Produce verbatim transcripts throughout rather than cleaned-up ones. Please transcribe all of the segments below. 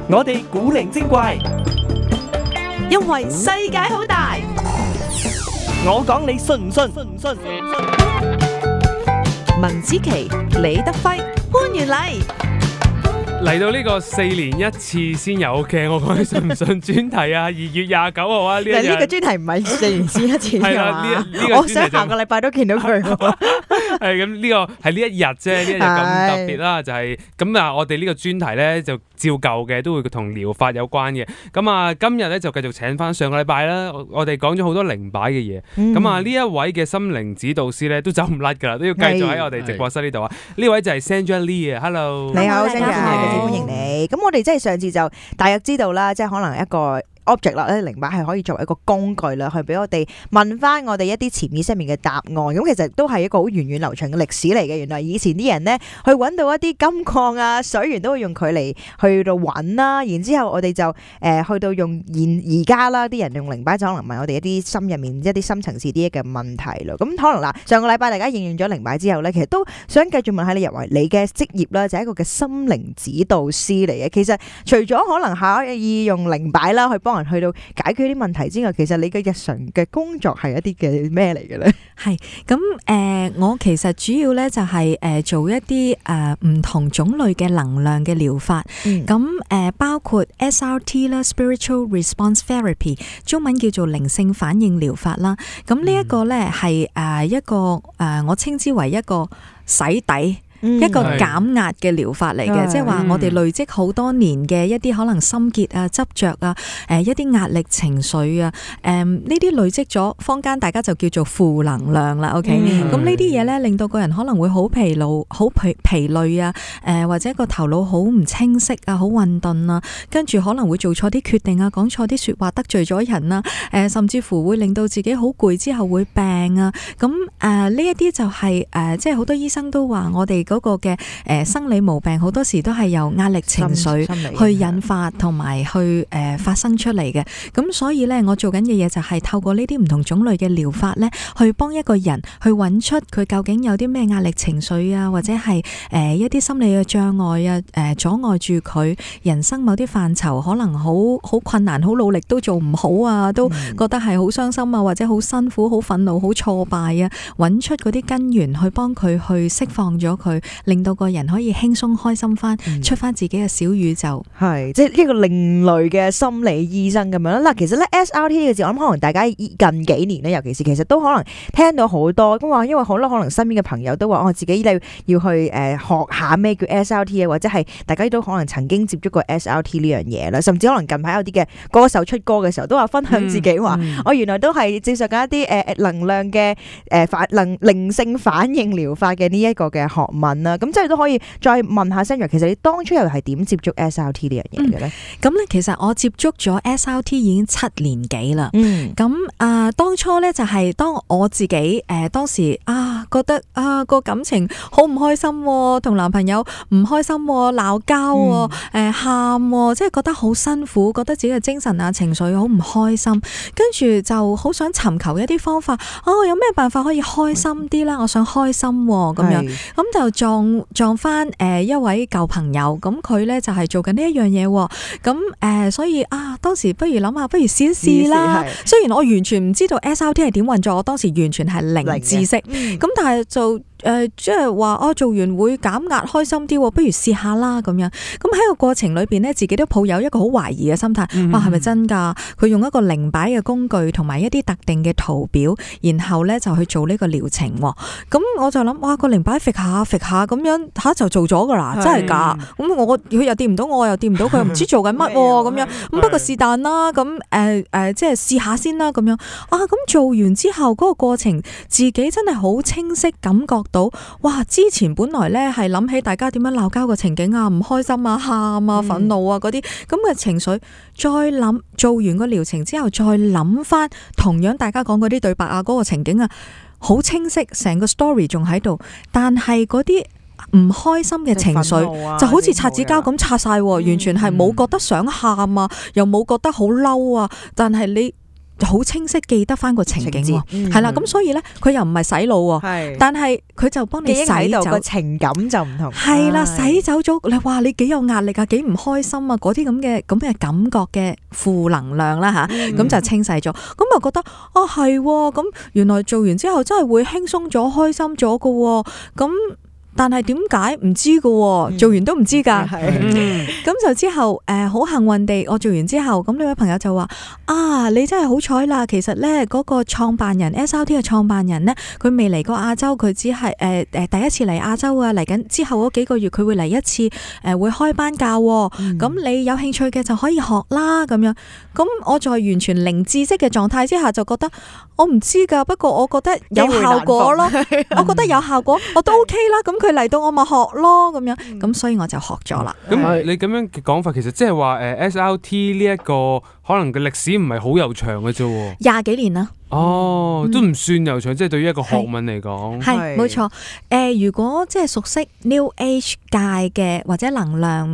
我哋古靈精怪，因為世界好大。我講你信唔信？文子琪、李德輝、潘元禮。嚟到呢個四年一次先有嘅，我講你信唔信專題啊？二月廿九號啊，呢一日呢個專題唔係四年先一次係啦，呢呢個我想下個禮拜都見到佢。係咁呢個係呢一日啫，呢一日咁特別啦，就係咁啊！我哋呢個專題咧就照舊嘅，都會同療法有關嘅。咁啊，今日咧就繼續請翻上個禮拜啦，我我哋講咗好多靈擺嘅嘢。咁啊，呢一位嘅心靈指導師咧都走唔甩㗎啦，都要繼續喺我哋直播室呢度啊。呢位就係 Sandra Lee 啊 ，Hello，你好 Sandra，歡迎你。咁我哋即係上次就大約知道啦，即係可能一個object 啦，咧靈擺係可以作為一個工具啦，去俾我哋問翻我哋一啲潛意識面嘅答案。咁其實都係一個好源遠流長嘅歷史嚟嘅。原來以前啲人咧去揾到一啲金礦啊、水源都會用佢嚟去到揾啦。然之後我哋就誒、呃、去到用現而家啦，啲人用靈擺就可能問我哋一啲心入面一啲深層次啲嘅問題咯。咁可能嗱，上個禮拜大家應用咗靈擺之後咧，其實都想繼續問下你，入為你嘅職業啦，就係、是、一個嘅心靈指導師嚟嘅。其實除咗可能可以用靈擺啦去幫去到解決啲問題之外，其實你嘅日常嘅工作係一啲嘅咩嚟嘅咧？係咁誒，我其實主要咧就係誒做一啲誒唔同種類嘅能量嘅療法，咁誒、嗯、包括 S R T 啦 （Spiritual Response Therapy）， 中文叫做靈性反應療法啦。咁呢一個咧係誒一個誒我稱之為一個洗底。嗯、一個減壓嘅療法嚟嘅，即係話我哋累積好多年嘅一啲可能心結啊、執着啊、誒一啲壓力情緒啊，誒呢啲累積咗，坊間大家就叫做負能量啦。OK，咁呢啲嘢咧令到個人可能會好疲勞、好疲疲累啊，誒、呃、或者個頭腦好唔清晰啊、好混沌啊，跟住可能會做錯啲決定啊、講錯啲說話得罪咗人啊，誒、呃、甚至乎會令到自己好攰之後會病啊。咁誒呢一啲就係、是、誒、呃、即係好多醫生都話我哋嗰個嘅誒生理毛病好多時都係由壓力情緒去引發同埋去誒發生出嚟嘅。咁所以咧，我做緊嘅嘢就係透過呢啲唔同種類嘅療法咧，去幫一個人去揾出佢究竟有啲咩壓力情緒啊，或者係誒一啲心理嘅障礙啊，誒阻礙住佢人生某啲範疇可能好好困難、好努力都做唔好啊，都覺得係好傷心啊，或者好辛苦、好憤怒、好挫敗啊，揾出嗰啲根源去幫佢去釋放咗佢。令到個人可以輕鬆開心翻，嗯、出翻自己嘅小宇宙，係即係一個另類嘅心理醫生咁樣啦。嗱，其實咧 S R T 呢個字，我諗可能大家近幾年咧，尤其是其實都可能聽到好多咁話，因為好多可能身邊嘅朋友都話，我自己要要去誒、呃、學下咩叫 S R T 啊，或者係大家都可能曾經接觸過 S R T 呢樣嘢啦，甚至可能近排有啲嘅歌手出歌嘅時候，都話分享自己話，我、嗯嗯哦、原來都係接受緊一啲誒、呃、能量嘅誒反能靈性反應療法嘅呢一個嘅學問啦。咁即係都可以再問下 Sandra， 其實你當初又係點接觸 S R T 呢樣嘢嘅咧？咁咧、嗯，其實我接觸咗 S R T 已經七年幾啦。嗯，咁啊、呃，當初咧就係當我自己誒、呃、當時啊覺得啊個感情好唔開心、啊，同男朋友唔開心、啊，鬧交、啊，誒喊、嗯呃啊，即係覺得好辛苦，覺得自己嘅精神啊情緒好唔開心，跟住就好想尋求一啲方法。哦，有咩辦法可以開心啲啦？我想開心咁、啊、樣，咁就撞撞翻誒一位舊朋友，咁佢咧就係做緊呢一樣嘢，咁誒、呃、所以啊，當時不如諗下，不如試一試啦。雖然我完全唔知道 S R T 係點運作，我當時完全係零知識，咁、嗯、但係就。誒，即係話哦，做完會減壓開心啲，不如試下啦咁樣。咁喺個過程裏邊呢，自己都抱有一個好懷疑嘅心態。嗯、哇，係咪真噶？佢用一個靈擺嘅工具同埋一啲特定嘅圖表，然後呢就去做呢個療程。咁我就諗，哇，個靈擺揈下揈下咁樣吓就做咗噶啦，真係噶。咁我佢又掂唔到，我又掂唔到，佢又唔知做緊乜咁樣。咁不過是但啦，咁誒誒，即係試下先啦咁樣。啊，咁做完之後嗰個過程，自己真係好清晰感覺到，哇！之前本來咧係諗起大家點樣鬧交嘅情景啊，唔開心啊、喊啊、憤怒啊嗰啲咁嘅情緒，再諗做完個療程之後，再諗翻同樣大家講嗰啲對白啊、嗰個情景啊，好清晰，成個 story 仲喺度，但係嗰啲唔開心嘅情緒、啊、就好似擦紙膠咁擦晒，完全係冇覺得想喊啊，嗯、又冇覺得好嬲啊，但係你好清晰記得翻個情景喎，情節係啦，嗯咁所以咧佢又唔係洗腦喎，係但係佢就幫你記憶洗走喺度個情感就唔同，係啦，係洗走咗你話你幾有壓力啊，幾唔開心啊，嗰啲咁嘅咁嘅感覺嘅負能量啦吓，咁、嗯就清洗咗，咁就覺得啊係，咁原來做完之後真係會輕鬆咗、開心咗噶，咁。但係點解唔知噶？做完都唔知噶。係嗯咁就之後誒，好幸運地，我做完之後，咁呢位朋友就話：啊，你真係好彩啦！其實咧，嗰個創辦人 S R T 嘅創辦人咧，佢未嚟過亞洲，佢只係誒誒第一次嚟亞洲啊！嚟緊之後嗰幾個月，佢會嚟一次，誒會開班教。咁你有興趣嘅就可以學啦，咁樣。咁我在完全零知識嘅狀態之下，就覺得我唔知噶，不過我覺得有效果咯，我覺得有效果，我都 OK 啦。咁佢嚟到我咪學咯，咁樣。咁所以我就學咗啦。咁你咁樣嘅講法，其實即係話誒 S R T 呢一個可能嘅歷史唔係好悠長嘅啫喎。廿幾年啦。哦，都唔算悠長，即係對於一個學問嚟講。係冇錯。誒，如果即係熟悉 New Age 界嘅或者能量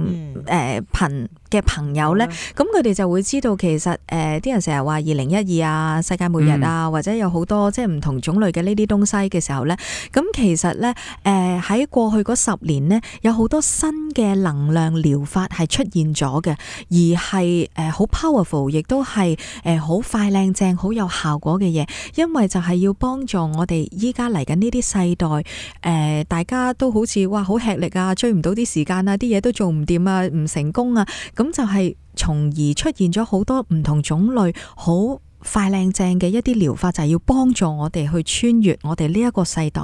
誒頻嘅朋友咧，咁佢哋就會知道其實誒啲、呃、人成日話二零一二啊、世界末日啊，嗯、或者有好多即係唔同種類嘅呢啲東西嘅時候咧，咁其實咧誒喺過去嗰十年咧，有好多新嘅能量療法係出現咗嘅，而係誒好 powerful， 亦都係誒好快靚正、好有效果嘅嘢，因為就係要幫助我哋依家嚟緊呢啲世代誒、呃，大家都好似哇好吃力啊，追唔到啲時間啊，啲嘢都做唔掂啊，唔成功啊。咁就係從而出現咗好多唔同種類好快靚正嘅一啲療法，就係要幫助我哋去穿越我哋呢一個世代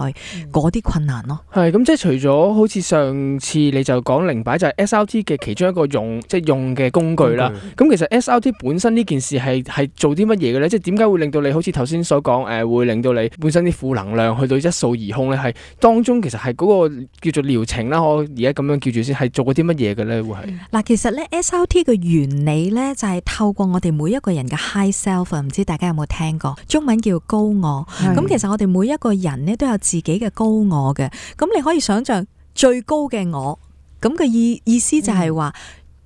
嗰啲困難咯。係咁，即係除咗好似上次你就講靈擺就係 S R T 嘅其中一個用即係用嘅工具啦。咁其實 S R T 本身呢件事係係做啲乜嘢嘅咧？即係點解會令到你好似頭先所講誒，會令到你本身啲負能量去到一掃而空咧？係當中其實係嗰個叫做療程啦，我而家咁樣叫住先，係做過啲乜嘢嘅咧？會係嗱，其實咧 S R T 嘅原理咧就係透過我哋每一個人嘅 high self。唔知大家有冇聽過？中文叫高我。咁其實我哋每一個人咧都有自己嘅高我嘅。咁你可以想象最高嘅我，咁嘅意意思就係話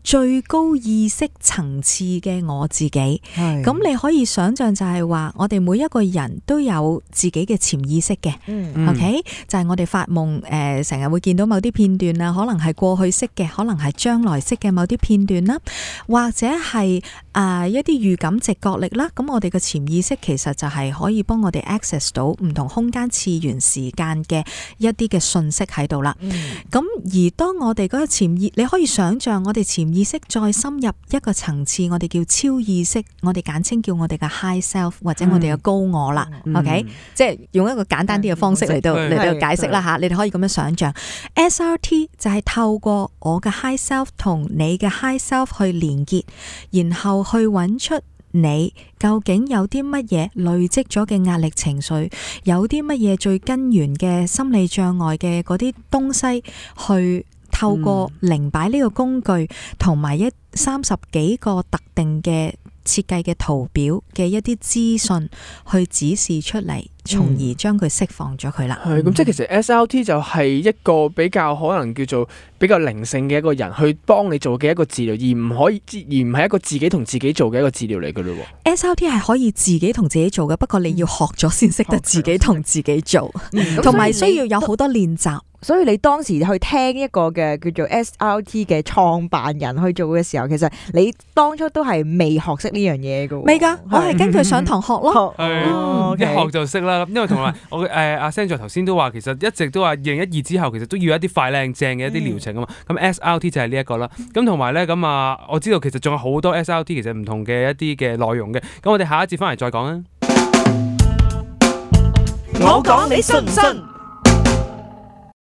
最高意識層次嘅我自己。咁你可以想象就係話我哋每一個人都有自己嘅潛意識嘅。嗯、OK，就係我哋發夢誒，成日會見到某啲片段啊，可能係過去式嘅，可能係將來式嘅某啲片段啦，或者係啊、呃、一啲預感直覺力啦。咁我哋嘅潛意識其實就係可以幫我哋 access 到唔同空間次元時間嘅一啲嘅信息喺度啦。咁、嗯、而當我哋嗰個潛意，你可以想象我哋潛意識再深入一個層次，我哋叫超意識，我哋簡稱叫我哋嘅 high self 或者我哋嘅高我啦。嗯、OK，、嗯、即係用一個簡單啲嘅方式嚟到嚟到解釋啦吓，你哋可以咁樣想象 S R T 就係透過我嘅 high self 同你嘅 high self 去連結，然後去揾出你究竟有啲乜嘢累積咗嘅壓力情緒，有啲乜嘢最根源嘅心理障礙嘅嗰啲東西去。透過靈擺呢個工具同埋一三十幾個特定嘅設計嘅圖表嘅一啲資訊去指示出嚟，從而將佢釋放咗佢啦。係咁、嗯，即係其實 S R T 就係一個比較可能叫做比較靈性嘅一個人去幫你做嘅一個治療，而唔可以而唔係一個自己同自己做嘅一個治療嚟嘅咯。S R T 係可以自己同自己做嘅，不過你要學咗先識得自己同自己做，同埋、嗯、需要有好多練習。所以你當時去聽一個嘅叫做 S R T 嘅創辦人去做嘅時候，其實你當初都係未學識呢樣嘢嘅。未㗎，我係跟佢上堂學咯。係一學就識啦。因為同埋我誒阿 Sandra 頭先都話，其實一直都話二零一二之後，其實都要一啲快靚正嘅一啲療程啊嘛。咁 S R T 就係呢一個啦。咁同埋咧咁啊，我知道其實仲有好多 S R T 其實唔同嘅一啲嘅內容嘅。咁我哋下一節翻嚟再講啊。我講你信唔信？